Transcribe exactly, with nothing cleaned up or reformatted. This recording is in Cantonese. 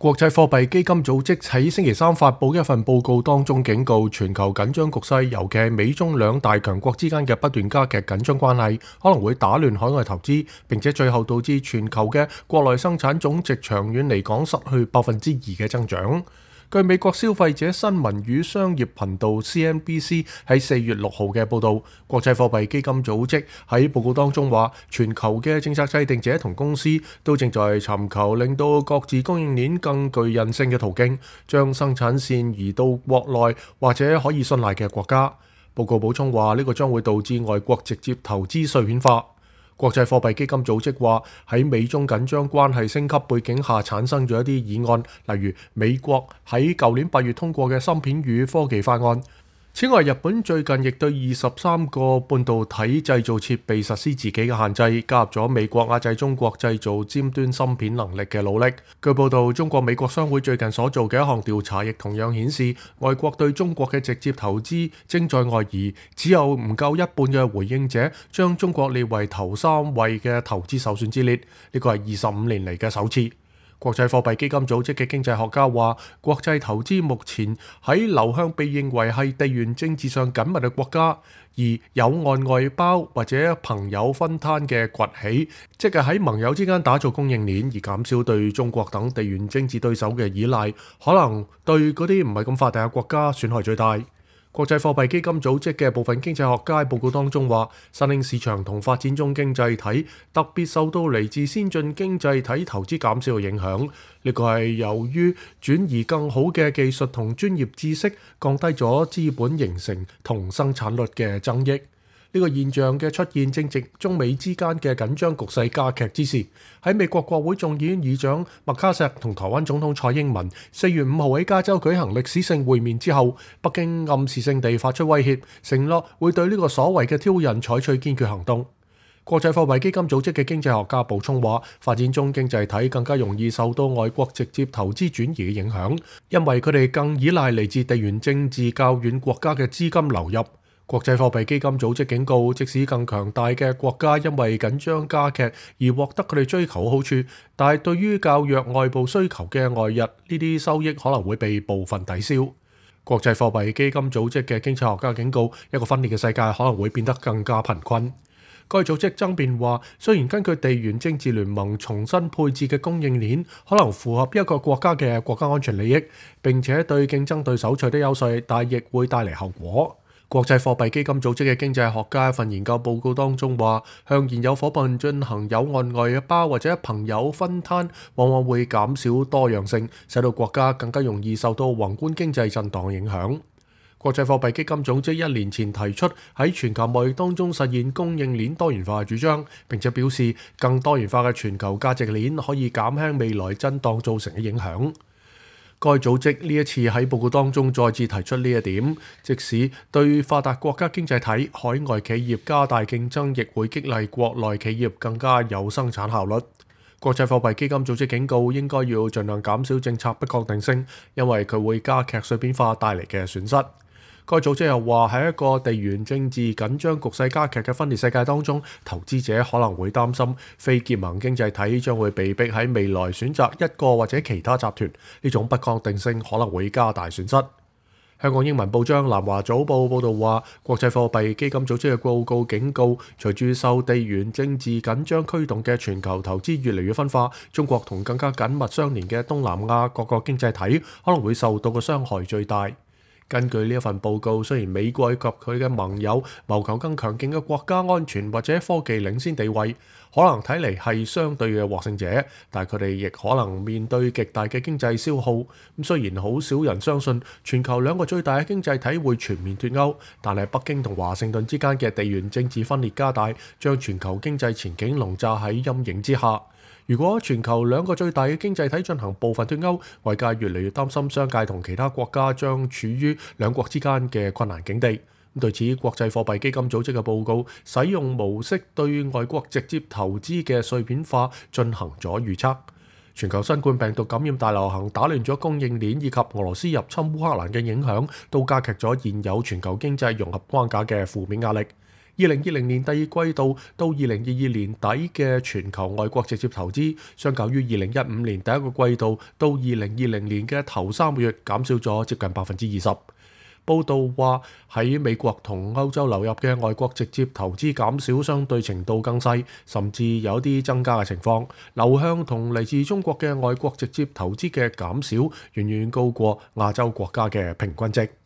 國際貨幣基金組織喺星期三發布一份報告當中警告，全球緊張局勢，尤其係美中兩大強國之間嘅不斷加劇緊張關係，可能會打亂海外投資，並且最後導致全球嘅國內生產總值長遠嚟講失去百分之二嘅增長。據美國消費者新聞與商業頻道 C N B C 喺四月六號嘅報導，國際貨幣基金組織喺報告當中話，全球嘅政策制定者同公司都正在尋求令到各自供應鏈更具韌性嘅途徑，將生產線移到國內或者可以信賴嘅國家。報告補充話，呢個將會導致外國直接投資碎片化。國際貨幣基金組織話，喺美中緊張關係升級背景下產生咗一啲議案，例如美國喺舊年八月通過嘅芯片與科技法案。此外，日本最近亦對二十三個半導體製造設備實施自己嘅限制，加入咗美國壓制中國製造尖端芯片能力嘅努力。據報道，中國美國商會最近所做嘅一項調查亦同樣顯示，外國對中國嘅直接投資正在外移，只有唔夠一半嘅回應者將中國列為頭三位嘅投資首選之列，呢個係二十五年嚟嘅首次。國際貨幣基金組織嘅經濟學家話，國際投資目前喺流向被認為係地緣政治上緊密嘅國家，而友岸外包或者朋友分攤嘅崛起，即係喺盟友之間打造供應鏈，而減少對中國等地緣政治對手嘅依賴，可能對嗰啲唔係咁發達嘅國家損害最大。國際貨幣基金組織嘅部分經濟學家報告當中話，新興市場同發展中經濟體特別受到嚟自先進經濟體投資減少嘅影響。呢個係由於轉移更好嘅技術同專業知識，降低咗資本形成同生產率嘅增益。呢個現象嘅出現正值中美之間嘅緊張局勢加劇之時。喺美國國會眾議院議長麥卡錫同台灣總統蔡英文四月五號喺加州舉行歷史性會面之後，北京暗示性地發出威脅，承諾會對呢個所謂嘅挑釁採取堅決行動。國際貨幣基金組織嘅經濟學家補充話，發展中經濟體更加容易受到外國直接投資轉移嘅影響，因為佢哋更依賴嚟自地緣政治較遠國家嘅資金流入。國際貨幣基金組織警告，即使更強大嘅國家因為緊張加劇而獲得佢哋追求嘅好處，但係對於較弱外部需求嘅外溢，呢啲收益可能會被部分抵消。國際貨幣基金組織嘅經濟學家警告，一個分裂嘅世界可能會變得更加貧困。該組織爭辯話，雖然根據地緣政治聯盟重新配置嘅供應鏈可能符合一個國家嘅國家安全利益，並且對競爭對手取得優勢，但亦會帶嚟後果。國際貨幣基金組織嘅經濟學家一份研究報告當中話，向現有夥伴進行友岸外包或者朋友分攤，往往會減少多樣性，使到國家更加容易受到宏觀經濟震盪影響。國際貨幣基金組織一年前提出喺全球貿易當中實現供應鏈多元化嘅主張，並且表示更多元化嘅全球價值鏈可以減輕未來震盪造成嘅影響。該組織呢一次喺報告當中再次提出呢一點，即使對發達國家經濟體、海外企業加大競爭，亦會激勵國內企業更加有生產效率。國際貨幣基金組織警告，應該要盡量減少政策不確定性，因為佢會加劇碎片化帶嚟嘅損失。該組織又話，喺一個地緣政治緊張局勢加劇嘅分裂世界當中，投資者可能會擔心非結盟經濟體將會被逼喺未來選擇一個或者其他集團，呢種不確定性可能會加大損失。香港英文報章南華早報報導話，國際貨幣基金組織嘅報告警告，隨住受地緣政治緊張驅動嘅全球投資越嚟越分化，中國同更加緊密相連嘅東南亞各個經濟體可能會受到嘅傷害最大。根據呢一份報告，雖然美國及佢嘅盟友謀求更強勁嘅國家安全或者科技領先地位，可能睇嚟係相對嘅獲勝者，但係佢哋亦可能面對極大嘅經濟消耗。咁雖然好少人相信全球兩個最大嘅經濟體會全面脫歐，但係北京同華盛頓之間嘅地緣政治分裂加大，將全球經濟前景籠罩喺陰影之下。如果全球兩個最大嘅經濟體進行部分脫歐，外界越嚟越擔心商界同其他國家將處於兩國之間嘅困難境地。對此，國際貨幣基金組織嘅報告使用模式對外國直接投資嘅碎片化進行咗預測。全球新冠病毒感染大流行打亂咗供應鏈，以及俄羅斯入侵烏克蘭嘅影響，都加劇咗現有全球經濟融合框架嘅負面壓力。二零二零年第二季度到二零二二年底嘅全球外國直接投資，相較於二零一五年第一個季度到二零二零年嘅頭三個月，減少咗接近百分之二十。報道話喺美國同歐洲流入嘅外國直接投資減少相對程度更細，甚至有啲增加嘅情況。流向同嚟自中國嘅外國直接投資嘅減少，遠遠高過亞洲國家嘅平均值。